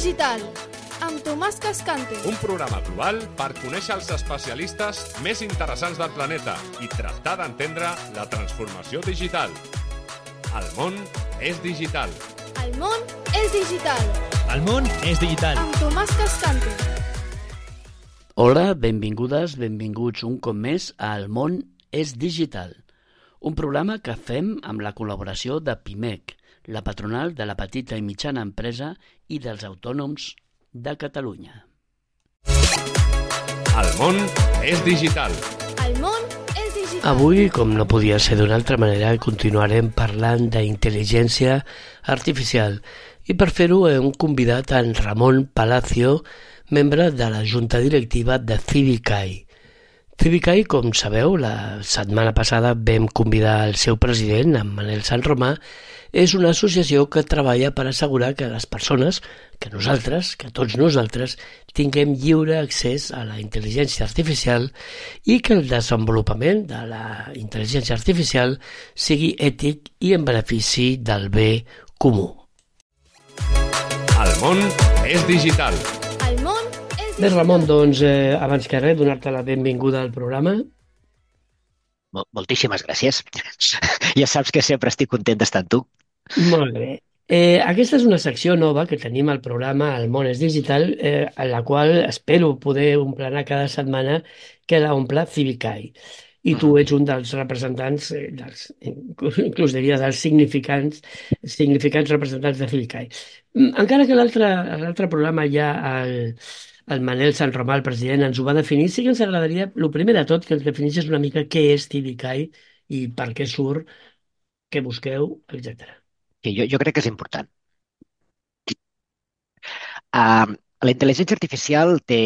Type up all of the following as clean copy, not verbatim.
digital, amb Tomàs Cascante. Un programa global per conèixer els especialistes més interessants del planeta i tractar d'entendre la transformació digital. El món és digital. El món és digital. El món és digital. Amb Tomàs Cascante. Hola, benvingudes, benvinguts un cop més a El món és digital, un programa que fem amb la col·laboració de PIMEC, la patronal de la petita i mitjana empresa i dels autònoms de Catalunya. El món és digital. El món és digital. Avui, com no podia ser d'una altra manera, continuarem parlant d'intel·ligència artificial i per fer-ho hem convidat en Ramon Palacio, membre de la junta directiva de Civicae. Civicae, com sabeu, la setmana passada vam convidar el seu president, en Manel Sanromà. És una associació que treballa per assegurar que les persones, que nosaltres, que tots nosaltres, tinguem lliure accés a la intel·ligència artificial i que el desenvolupament de la intel·ligència artificial sigui ètic i en benefici del bé comú. El món és digital. El món és digital. Bé, Ramon, doncs, abans que res, donar-te la benvinguda al programa. Moltíssimes gràcies. Ja saps que sempre estic content d'estar amb tu. Molt bé. Aquesta és una secció nova que tenim al programa El món és digital, en la qual espero poder omplir cada setmana que l'omple Civicae. I tu ets un dels representants, inclús diria dels significants representants de Civicae. Encara que l'altre programa ja el Manel Sanromà, el president, ens ho va definir, sí que ens agradaria, el primer de tot, que ens definissis una mica què és Civicae i per què surt, què busqueu, etc. Jo crec que és important. La intel·ligència artificial té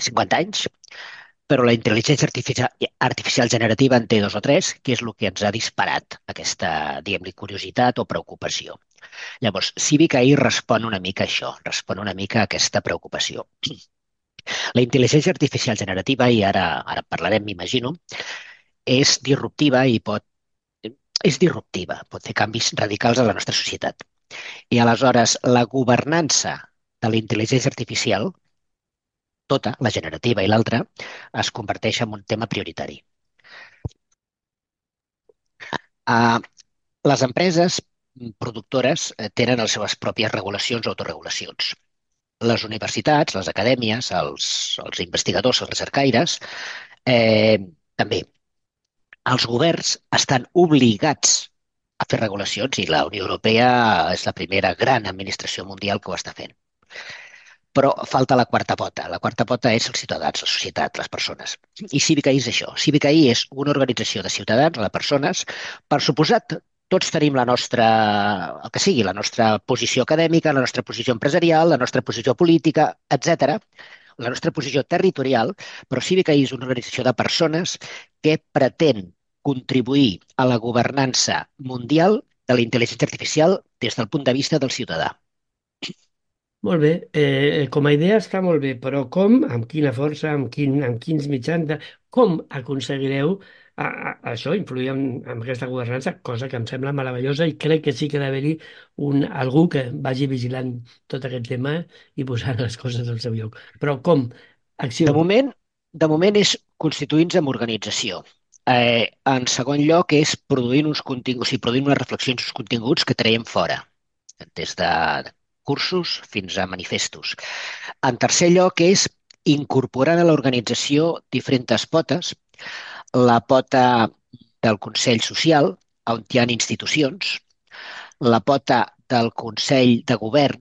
50 anys, però la intel·ligència artificial generativa en té 2 o 3, que és el que ens ha disparat aquesta, diguem-li, curiositat o preocupació. Llavors, Civicae respon una mica a això, respon una mica a aquesta preocupació. La intel·ligència artificial generativa, i ara parlarem, m'imagino, és disruptiva i pot fer canvis radicals a la nostra societat. I aleshores, la governança de la intel·ligència artificial, tota, la generativa i l'altra, es converteix en un tema prioritari. Les empreses productores tenen les seves pròpies regulacions o autoregulacions. Les universitats, les acadèmies, els investigadors, els recercaires, també. Els governs estan obligats a fer regulacions i la Unió Europea és la primera gran administració mundial que ho està fent. Però falta la quarta pota. La quarta pota és els ciutadans, la societat, les persones. I Civicae és això. Civicae és una organització de ciutadans, de persones. Per suposat, tots tenim el que sigui, la nostra posició acadèmica, la nostra posició empresarial, la nostra posició política, etc., la nostra posició territorial, però Civicae és una organització de persones que pretén contribuir a la governança mundial de la intel·ligència artificial des del punt de vista del ciutadà. Molt bé, com a idea està molt bé, però com, amb quina força, amb quins mitjans, com aconseguireu això, influir en aquesta governança, cosa que em sembla meravellosa i crec que sí que ha d'haver-hi algú que vagi vigilant tot aquest tema i posant les coses al seu lloc. Però com? Acció. De moment és constituint-se en organització. En segon lloc és produint uns continguts, produint unes reflexions, uns continguts que traiem fora, des de cursos fins a manifestos. En tercer lloc és incorporant a l'organització diferents potes, la pota del Consell Social, on hi ha institucions, la pota del Consell de Govern,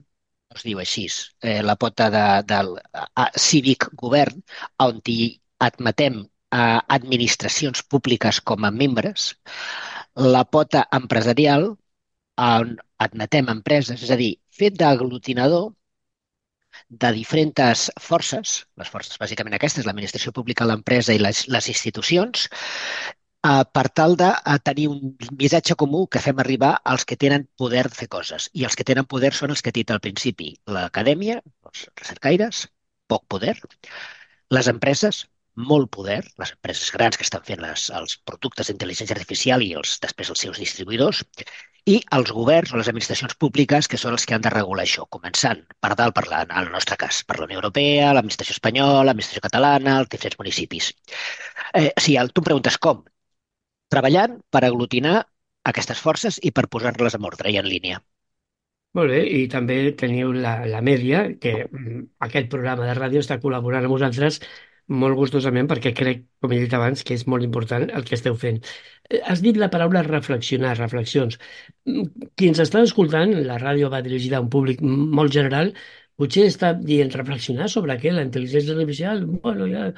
es diu així, la pota del Cívic Govern, on hi admetem administracions públiques com a membres, la pota empresarial, on admetem empreses, és a dir, fet d'aglutinador de diferents forces, les forces bàsicament aquestes, l'administració pública, l'empresa i les institucions, per tal de tenir un missatge comú que fem arribar als que tenen poder de fer coses. I els que tenen poder són els que he dit al principi, l'acadèmia, els recercaires, poc poder, les empreses, molt poder, les empreses grans que estan fent els productes d'intel·ligència artificial i després els seus distribuïdors, i els governs o les administracions públiques que són els que han de regular això, començant per dalt, en el nostre cas, per la Unió Europea, l'administració espanyola, l'administració catalana, els diferents municipis. Si tu em preguntes com, treballant per aglutinar aquestes forces i per posar-les en ordre i en línia. Molt bé, i també teniu la Mèdia, que aquest programa de ràdio està col·laborant amb vosaltres molt gustosament perquè crec, com he dit abans, que és molt important el que esteu fent. Has dit la paraula reflexionar, reflexions. Qui ens està escoltant, la ràdio va dirigida a un públic molt general, potser està dient reflexionar sobre què? La intel·ligència artificial? Bueno, ja...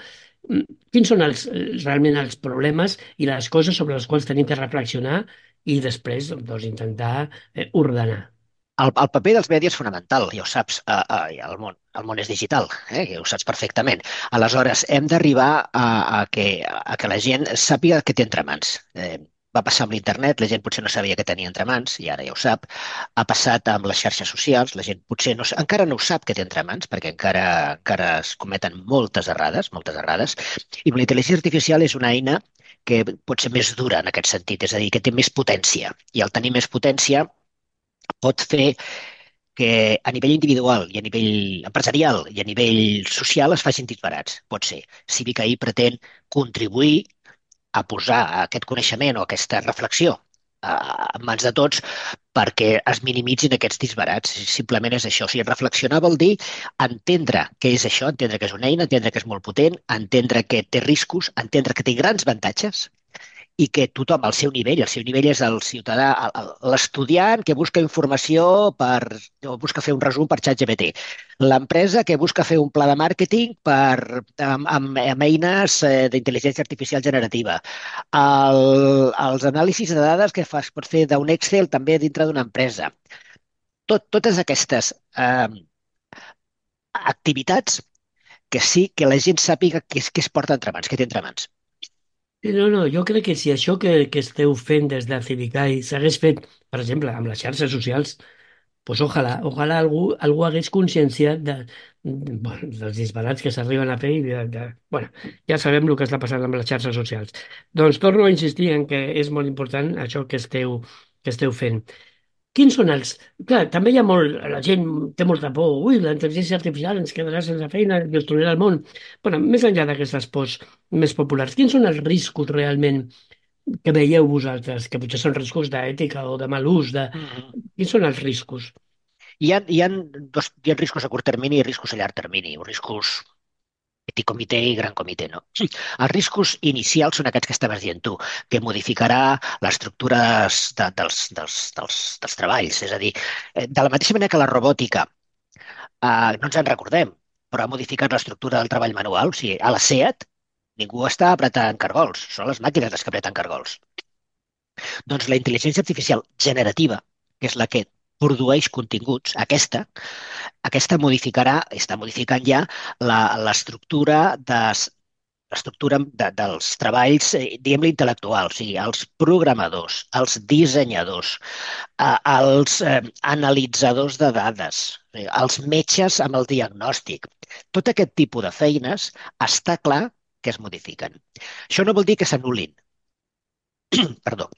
Quins són realment els problemes i les coses sobre les quals tenim que reflexionar i després doncs, intentar ordenar? El paper dels mèdies és fonamental, ja ho saps, el món és digital, ja ho saps perfectament. Aleshores, hem d'arribar a que la gent sàpiga què té entre mans. Va passar amb l'internet, la gent potser no sabia què tenia entre mans, i ara ja ho sap. Ha passat amb les xarxes socials, la gent potser encara no ho sap què té entre mans, perquè encara es cometen moltes errades, i la intel·ligència artificial és una eina que pot ser més dura en aquest sentit, és a dir, que té més potència, i al tenir més potència pot fer que a nivell individual i a nivell empresarial i a nivell social es facin disbarats. Pot ser. CiviCAI pretén contribuir a posar aquest coneixement o aquesta reflexió en mans de tots perquè es minimitzin aquests disbarats. Simplement és això. O sigui, reflexionar vol dir entendre què és això, entendre que és una eina, entendre que és molt potent, entendre que té riscos, entendre que té grans avantatges i que tothom al seu nivell és el ciutadà, l'estudiant que busca informació o busca fer un resum per ChatGPT, l'empresa que busca fer un pla de màrqueting amb eines d'intel·ligència artificial generativa, els anàlisis de dades que pots fer d'un Excel també dintre d'una empresa. Totes aquestes activitats que sí que la gent sàpiga què es porta entre mans, què té entre mans. No, jo crec que si això que esteu fent des de CiviCAI s'hagués fet, per exemple, amb les xarxes socials, pues ojalà algú hagués conscienciat bueno, dels disbarats que s'arriben a fer bueno, ja sabem el que està passant amb les xarxes socials. Doncs torno a insistir en que és molt important això que esteu fent. Quins són els... Clar, també hi ha la gent té molta por. Ui, la intel·ligència artificial ens quedarà sense feina, destruirà el món. Bueno, més enllà d'aquestes pors més populars, quins són els riscos realment que veieu vosaltres, que potser són riscos d'ètica o de mal ús? Quins són els riscos? Hi ha riscos a curt termini i riscos a llarg termini, riscos petit comitè i gran comitè, no? Els riscos inicials són aquests que estaves dient tu, que modificarà l'estructura dels treballs. És a dir, de la mateixa manera que la robòtica, no ens en recordem, però ha modificat l'estructura del treball manual. O sigui, a la SEAT ningú està apretant cargols, són les màquines les que apreten cargols. Doncs la intel·ligència artificial generativa, que és la que produeix continguts, aquesta està modificant ja l'estructura dels treballs, diguem-ne, intel·lectuals, o sigui, els programadors, els dissenyadors, els analitzadors de dades, els metges amb el diagnòstic. Tot aquest tipus de feines està clar que es modifiquen. Això no vol dir que s'anul·lin. Perdó.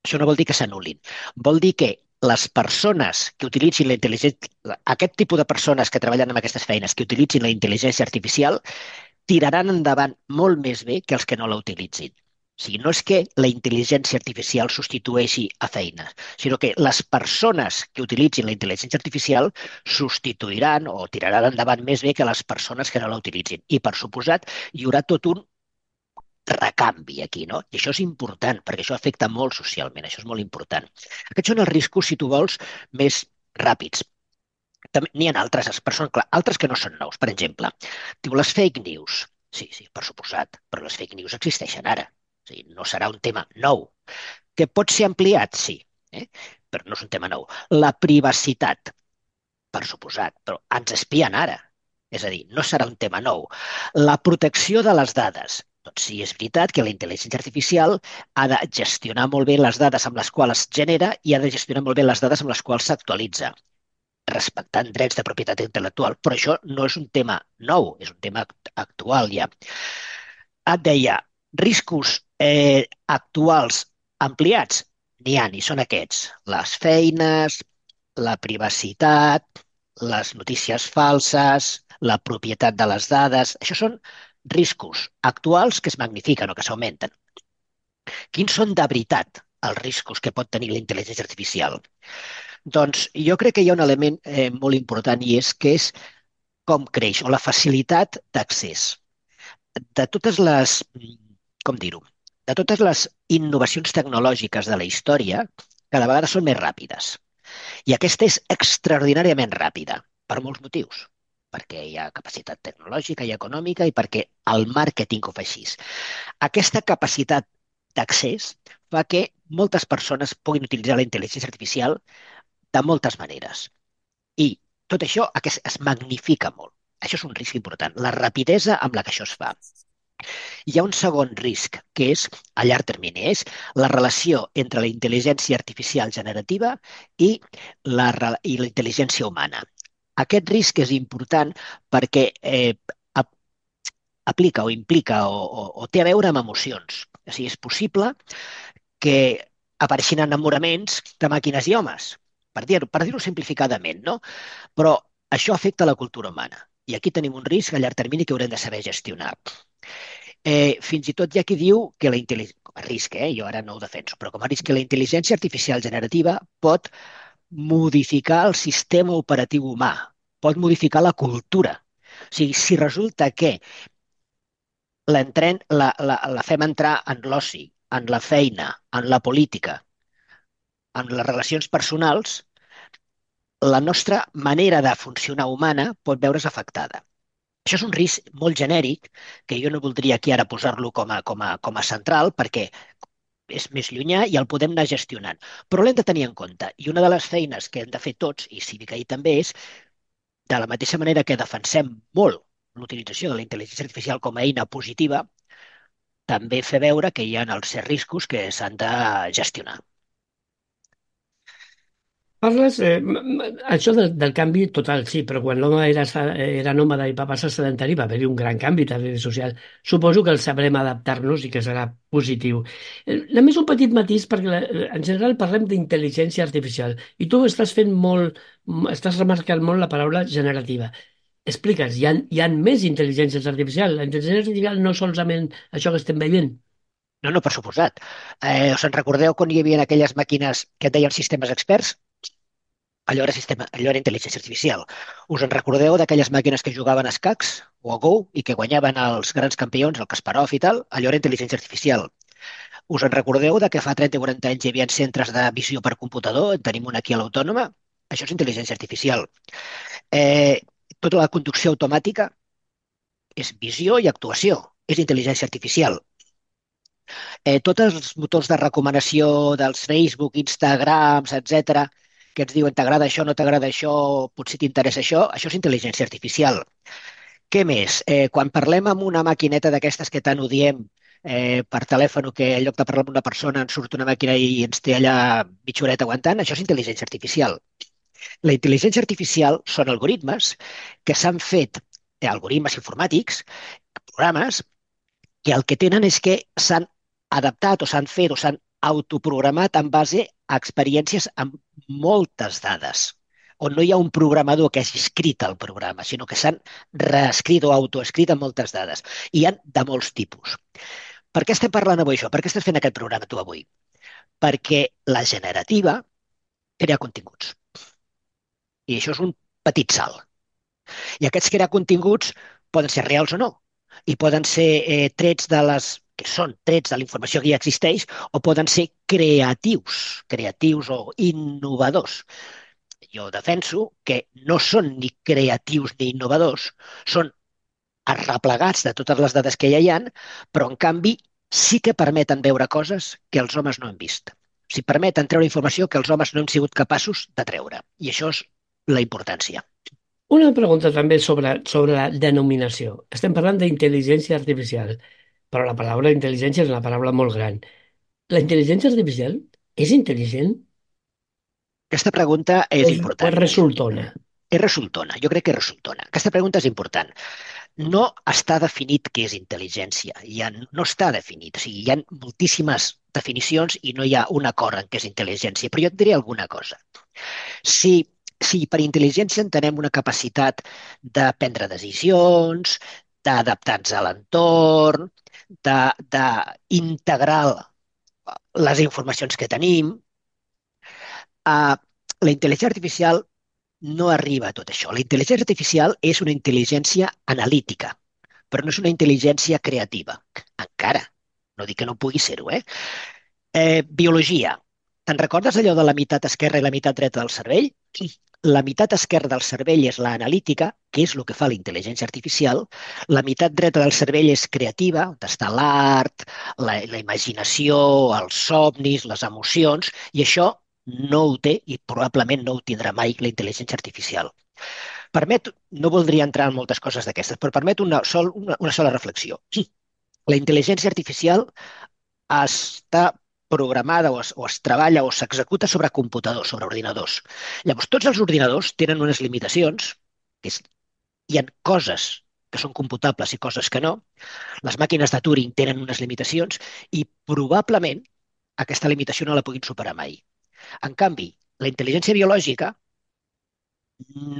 Això no vol dir que s'anul·lin. Vol dir que les persones que utilitzin la intel·ligència, aquest tipus de persones que treballen en aquestes feines, que utilitzin la intel·ligència artificial, tiraran endavant molt més bé que els que no la utilitzin. O sigui, no és que la intel·ligència artificial substitueixi a feines, sinó que les persones que utilitzin la intel·ligència artificial substituiran o tiraran endavant més bé que les persones que no la utilitzin. I, per suposat, hi haurà tot un recanvi aquí, no? I això és important, perquè això afecta molt socialment, això és molt important. Aquests són els riscos, si tu vols, més ràpids. N'hi ha altres, però són clar, altres que no són nous. Per exemple, diu les fake news. Sí, per suposat, però les fake news existeixen ara. O sigui, no serà un tema nou. Que pot ser ampliat, sí, però no és un tema nou. La privacitat, per suposat, però ens espien ara. És a dir, no serà un tema nou. La protecció de les dades. Doncs sí, és veritat que la intel·ligència artificial ha de gestionar molt bé les dades amb les quals es genera i ha de gestionar molt bé les dades amb les quals s'actualitza, respectant drets de propietat intel·lectual. Però això no és un tema nou, és un tema actual ja. Et deia, riscos actuals ampliats, n'hi ha, i són aquests. Les feines, la privacitat, les notícies falses, la propietat de les dades. Això són riscos actuals que es magnifiquen o que s'augmenten. Quins són de veritat els riscos que pot tenir la intel·ligència artificial? Doncs jo crec que hi ha un element molt important i és que és com creix o la facilitat d'accés de totes les, com dir-ho, de totes les innovacions tecnològiques de la història, cada vegada són més ràpides. I aquesta és extraordinàriament ràpida, per molts motius. Perquè hi ha capacitat tecnològica i econòmica i perquè el màrqueting ho fa així. Aquesta capacitat d'accés fa que moltes persones puguin utilitzar la intel·ligència artificial de moltes maneres. I tot això es magnifica molt. Això és un risc important, la rapidesa amb la que això es fa. Hi ha un segon risc, que és, a llarg termini, és la relació entre la intel·ligència artificial generativa i la intel·ligència humana. Aquest risc és important perquè aplica o implica o té a veure amb emocions. O sigui, és possible que apareixin enamoraments de màquines i homes, per dir-ho simplificadament, no? Però això afecta la cultura humana. I aquí tenim un risc a llarg termini que haurem de saber gestionar. Fins i tot hi ha qui diu que la intel·ligència, com a risc, jo ara no ho defenso, però com a risc que la intel·ligència artificial generativa pot modificar el sistema operatiu humà, pot modificar la cultura. O sigui, si resulta que la fem entrar en l'oci, en la feina, en la política, en les relacions personals, la nostra manera de funcionar humana pot veure's afectada. Això és un risc molt genèric que jo no voldria aquí ara posar-lo com a central perquè és més llunyà i el podem anar gestionant. Però l'hem de tenir en compte. I una de les feines que hem de fer tots, i Cívica també, és, de la mateixa manera que defensem molt l'utilització de la intel·ligència artificial com a eina positiva, també fer veure que hi ha els riscos que s'han de gestionar. Parles, això del canvi total, sí, però quan l'home era nòmada i va passar sedentari va haver-hi un gran canvi també social. Suposo que el sabrem adaptar-nos i que serà positiu. Només un petit matís, perquè en general parlem d'intel·ligència artificial i tu estàs remarcant molt la paraula generativa. Explica'ns, hi ha més intel·ligències artificials? La intel·ligència artificial no solament això que estem veient? No, per suposat. Us en recordeu quan hi havia aquelles màquines que et deien sistemes experts? Allò era intel·ligència artificial. Us en recordeu d'aquelles màquines que jugaven a escacs o a Go i que guanyaven els grans campions, el Kasparov i tal? Allò era intel·ligència artificial. Us en recordeu de que fa 30 o 40 anys hi havia centres de visió per computador? En tenim un aquí a l'Autònoma? Això és intel·ligència artificial. Tota la conducció automàtica és visió i actuació. És intel·ligència artificial. Tots els motors de recomanació dels Facebook, Instagrams, etc, que ens diuen t'agrada això, no t'agrada això, potser t'interessa això és intel·ligència artificial. Què més? Quan parlem amb una maquineta d'aquestes que tant odiem per telèfon, que en lloc de parlar amb una persona ens surt una màquina i ens té allà mitja horeta aguantant, això és intel·ligència artificial. La intel·ligència artificial són algoritmes que s'han fet, algoritmes informàtics, programes, que el que tenen és que s'han adaptat o s'han fet o s'han autoprogramat en base a experiències amb moltes dades, on no hi ha un programador que hagi escrit el programa, sinó que s'han reescrit o autoescrit amb moltes dades. I hi ha de molts tipus. Per què estem parlant avui això? Per què estàs fent aquest programa tu avui? Perquè la generativa crea continguts. I això és un petit salt. I aquests crear continguts poden ser reals o no. I poden ser trets de la informació que ja existeix, o poden ser creatius o innovadors. Jo defenso que no són ni creatius ni innovadors, són arreplegats de totes les dades que ja hi ha, però en canvi sí que permeten veure coses que els homes no hem vist. O sigui, permeten treure informació que els homes no hem sigut capaços de treure. I això és la importància. Una pregunta també sobre la denominació. Estem parlant d'intel·ligència artificial, però la paraula intel·ligència és una paraula molt gran. La intel·ligència artificial és intel·ligent Aquesta pregunta és o important. és resultona? És resultona. Jo crec que és resultona. Aquesta pregunta és important. no està definit què és intel·ligència. No està definit. O sigui, hi ha moltíssimes definicions i no hi ha un acord en què és intel·ligència. Però jo et diré alguna cosa. Si per intel·ligència entenem una capacitat de prendre decisions, d'adaptar-nos a l'entorn, d'integrar les informacions que tenim, la intel·ligència artificial no arriba a tot això. La intel·ligència artificial és una intel·ligència analítica, però no és una intel·ligència creativa. Encara. No dic que no pugui ser-ho, biologia. Te'n recordes allò de la meitat esquerra i la meitat dreta del cervell? La meitat esquerra del cervell és l'analítica, que és el que fa la intel·ligència artificial. La meitat dreta del cervell és creativa, on està l'art, la imaginació, els somnis, les emocions, i això no ho té i probablement no ho tindrà mai la intel·ligència artificial. No voldria entrar en moltes coses d'aquestes, però permet una sola reflexió. La intel·ligència artificial està programada o es treballa o s'executa sobre computadors, sobre ordinadors. Llavors, tots els ordinadors tenen unes limitacions, hi ha coses que són computables i coses que no. Les màquines de Turing tenen unes limitacions i probablement aquesta limitació no la puguin superar mai. En canvi, la intel·ligència biològica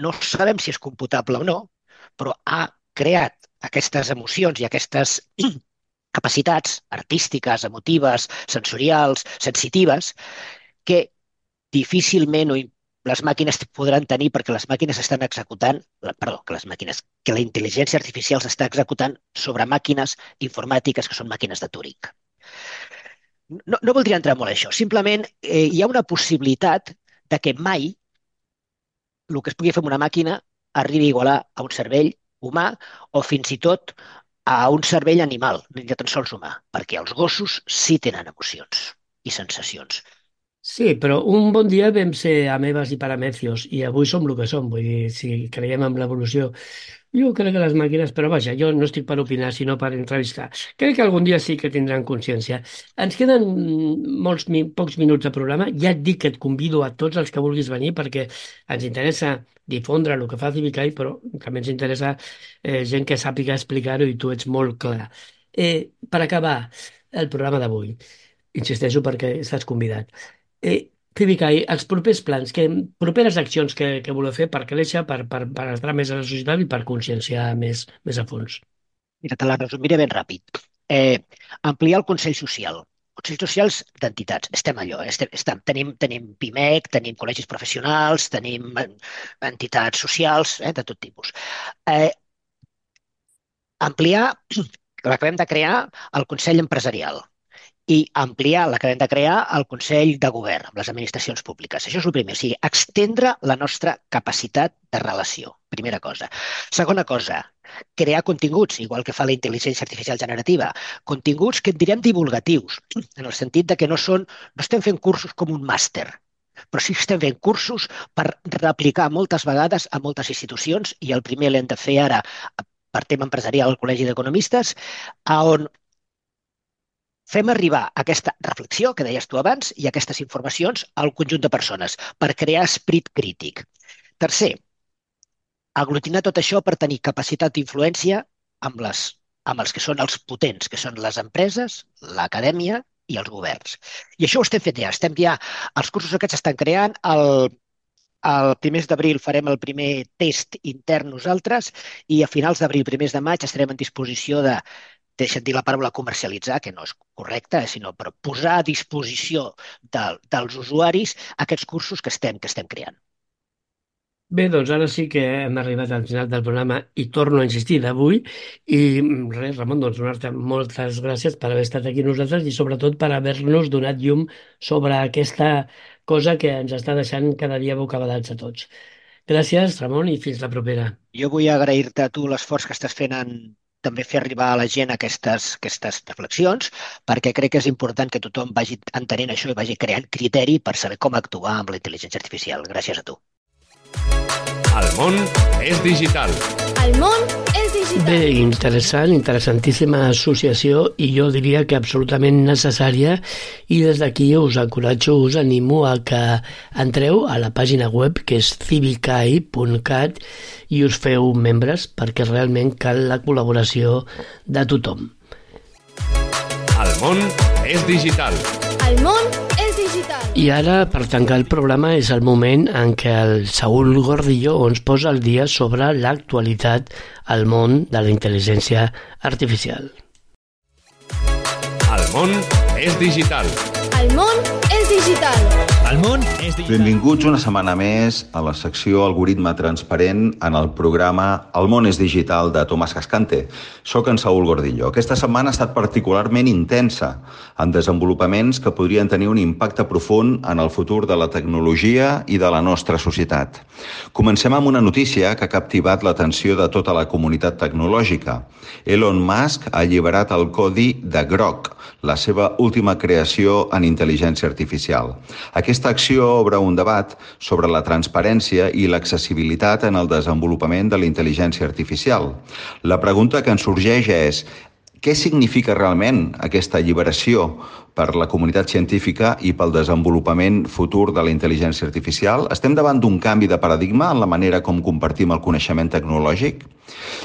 no sabem si és computable o no, però ha creat aquestes emocions i aquestes capacitats artístiques, emotives, sensorials, sensitives, que difícilment les màquines podran tenir perquè les màquines estan executant, que la intel·ligència artificial s'està executant sobre màquines informàtiques que són màquines de Turing. No voldria entrar molt en això. Simplement hi ha una possibilitat de que mai el que es pugui fer amb una màquina arribi a igualar a un cervell humà o fins i tot a un cervell animal, ni tan sols humà, perquè els gossos sí tenen emocions i sensacions. Sí, però un bon dia vam ser amebes i paramecios i avui som el que som. Vull dir, si creiem en l'evolució, jo crec que les màquines, però vaja, jo no estic per opinar, sinó per entrevistar. Crec que algun dia sí que tindran consciència. Ens queden pocs minuts de programa. Ja et dic que et convido a tots els que vulguis venir perquè ens interessa difondre el que fa Civikai, però també ens interessa gent que sàpiga explicar-ho i tu ets molt clar. Per acabar el programa d'avui, insisteixo perquè estàs convidat. Civikai, els propers plans, properes accions que voleu fer per créixer, per entrar més a la societat i per conscienciar més a fons. Mira, te la resumiré ben ràpid. Ampliar el Consell Social. Consells socials d'entitats. Estem allò. Tenim PIMEC, tenim col·legis professionals, tenim entitats socials de tot tipus. Ampliar, l'acabem de crear, el Consell Empresarial i ampliar, l'acabem de crear, el Consell de Govern amb les administracions públiques. Això és el primer, o sigui, extendre la nostra capacitat de relació, primera cosa. Segona cosa, crear continguts, igual que fa la intel·ligència artificial generativa, continguts que en direm divulgatius, en el sentit de que no estem fent cursos com un màster, però sí que estem fent cursos per replicar moltes vegades a moltes institucions i el primer l'hem de fer ara per tema empresarial al Col·legi d'Economistes, on fem arribar aquesta reflexió que deies tu abans i aquestes informacions al conjunt de persones per crear esperit crític. Tercer, aglutinar tot això per tenir capacitat d'influència amb els que són els potents, que són les empreses, l'acadèmia i els governs. I això ho estem fent ja. Els cursos aquests s'estan creant. El primers d'abril farem el primer test intern nosaltres i a finals d'abril, primers de maig, estarem en disposició deixa't dir la paraula comercialitzar, que no és correcta, sinó per posar a disposició dels usuaris aquests cursos que estem creant. Bé, doncs ara sí que hem arribat al final del programa i torno a insistir d'avui i res, Ramon, doncs donar-te moltes gràcies per haver estat aquí nosaltres i sobretot per haver-nos donat llum sobre aquesta cosa que ens està deixant cada dia bocabadats a tots. Gràcies, Ramon, i fins la propera. Jo vull agrair-te a tu l'esforç que estàs fent en també fer arribar a la gent aquestes reflexions, perquè crec que és important que tothom vagi entenent això i vagi creant criteri per saber com actuar amb la intel·ligència artificial. Gràcies a tu. El món és digital. El món és digital. Bé, interessantíssima associació i jo diria que absolutament necessària, i des d'aquí us encoratjo, us animo a que entreu a la pàgina web que és civicai.cat i us feu membres perquè realment cal la col·laboració de tothom. El món és digital. El món és digital. I ara, per tancar el programa, és el moment en què el Saúl Gordillo ens posa al dia sobre l'actualitat al món de la intel·ligència artificial. El món és digital. El món és digital. El món és digital. Benvinguts una setmana més a la secció Algoritme Transparent en el programa El món és digital de Tomàs Cascante. Soc en Saúl Gordillo. Aquesta setmana ha estat particularment intensa en desenvolupaments que podrien tenir un impacte profund en el futur de la tecnologia i de la nostra societat. Comencem amb una notícia que ha captivat l'atenció de tota la comunitat tecnològica. Elon Musk ha alliberat el codi de Grok, la seva última creació en intel·ligència artificial. Aquesta acció obre un debat sobre la transparència i l'accessibilitat en el desenvolupament de la intel·ligència artificial. La pregunta que ens sorgeix és: què significa realment aquesta alliberació per la comunitat científica i pel desenvolupament futur de la intel·ligència artificial? Estem davant d'un canvi de paradigma en la manera com compartim el coneixement tecnològic?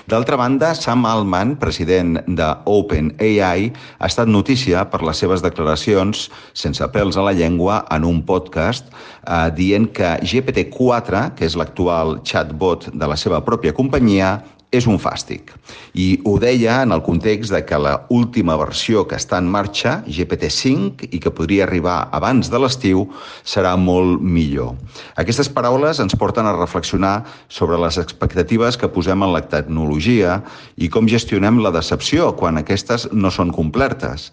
D'altra banda, Sam Altman, president de OpenAI, ha estat notícia per les seves declaracions sense pèls a la llengua en un podcast dient que GPT-4, que és l'actual chatbot de la seva pròpia companyia, és un fàstic. I ho deia en el context de que la última versió que està en marxa, GPT-5, i que podria arribar abans de l'estiu, serà molt millor. Aquestes paraules ens porten a reflexionar sobre les expectatives que posem en la tecnologia i com gestionem la decepció quan aquestes no són complertes.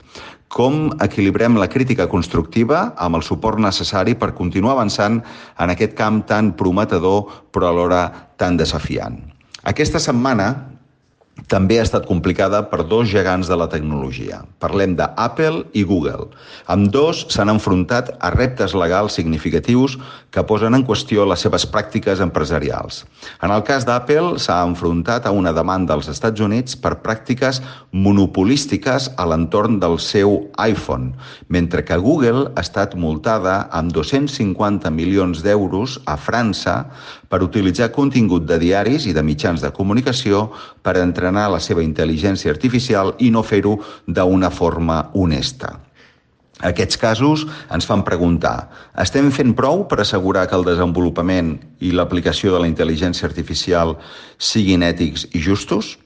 Com equilibrem la crítica constructiva amb el suport necessari per continuar avançant en aquest camp tan prometedor però alhora tan desafiant. Aquesta setmana també ha estat complicada per dos gegants de la tecnologia. Parlem d'Apple i Google. Ambdós s'han enfrontat a reptes legals significatius que posen en qüestió les seves pràctiques empresarials. En el cas d'Apple s'ha enfrontat a una demanda als Estats Units per pràctiques monopolístiques a l'entorn del seu iPhone, mentre que Google ha estat multada amb 250 milions d'euros a França per utilitzar contingut de diaris i de mitjans de comunicació per entrenar la seva intel·ligència artificial i no fer-ho d'una forma honesta. Aquests casos ens fan preguntar: estem fent prou per assegurar que el desenvolupament i l'aplicació de la intel·ligència artificial siguin ètics i justos?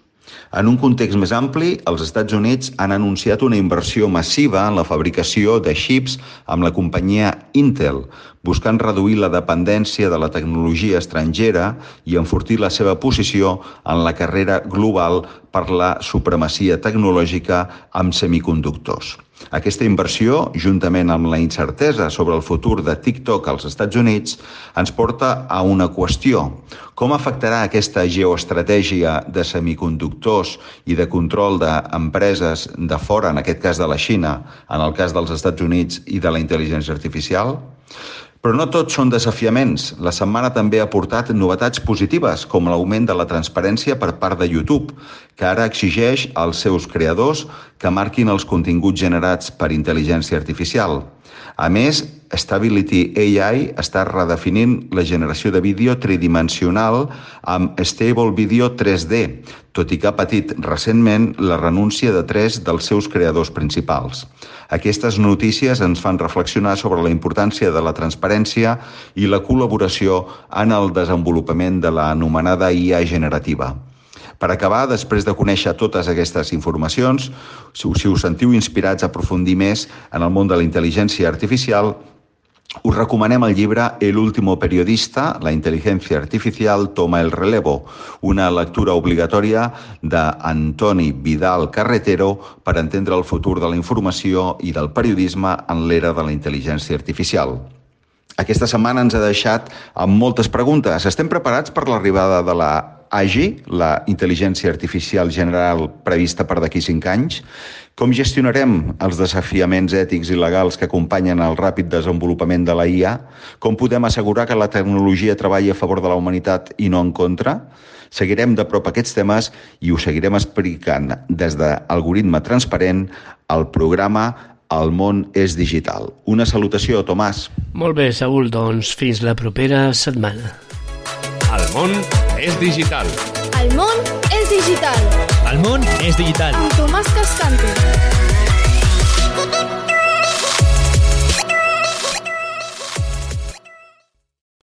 En un context més ampli, els Estats Units han anunciat una inversió massiva en la fabricació de xips amb la companyia Intel, buscant reduir la dependència de la tecnologia estrangera i enfortir la seva posició en la carrera global per la supremacia tecnològica amb semiconductors. Aquesta inversió, juntament amb la incertesa sobre el futur de TikTok als Estats Units, ens porta a una qüestió. Com afectarà aquesta geoestratègia de semiconductors i de control d'empreses de fora, en aquest cas de la Xina, en el cas dels Estats Units i de la intel·ligència artificial? Però no tots són desafiaments. La setmana també ha portat novetats positives, com l'augment de la transparència per part de YouTube, que ara exigeix als seus creadors que marquin els continguts generats per intel·ligència artificial. A més, Stability AI està redefinint la generació de vídeo tridimensional amb Stable Video 3D, tot i que ha patit recentment la renúncia de 3 dels seus creadors principals. Aquestes notícies ens fan reflexionar sobre la importància de la transparència i la col·laboració en el desenvolupament de l'anomenada IA generativa. Per acabar, després de conèixer totes aquestes informacions, si us sentiu inspirats a aprofundir més en el món de la intel·ligència artificial, us recomanem el llibre El último periodista, la inteligencia artificial toma el relevo, una lectura obligatòria d'Antoni Vidal Carretero per entendre el futur de la informació i del periodisme en l'era de la intel·ligència artificial. Aquesta setmana ens ha deixat amb moltes preguntes. Estem preparats per l'arribada de la AGI, la intel·ligència artificial general prevista per d'aquí 5 anys, com gestionarem els desafiaments ètics i legals que acompanyen el ràpid desenvolupament de la IA, com podem assegurar que la tecnologia treballi a favor de la humanitat i no en contra. Seguirem de prop aquests temes i ho seguirem explicant des d'Algoritme Transparent al programa El món és digital. Una salutació, Tomàs. Molt bé, Saúl, doncs fins la propera setmana. El món és digital. El món és digital. El món és digital. Amb Tomàs Cascante.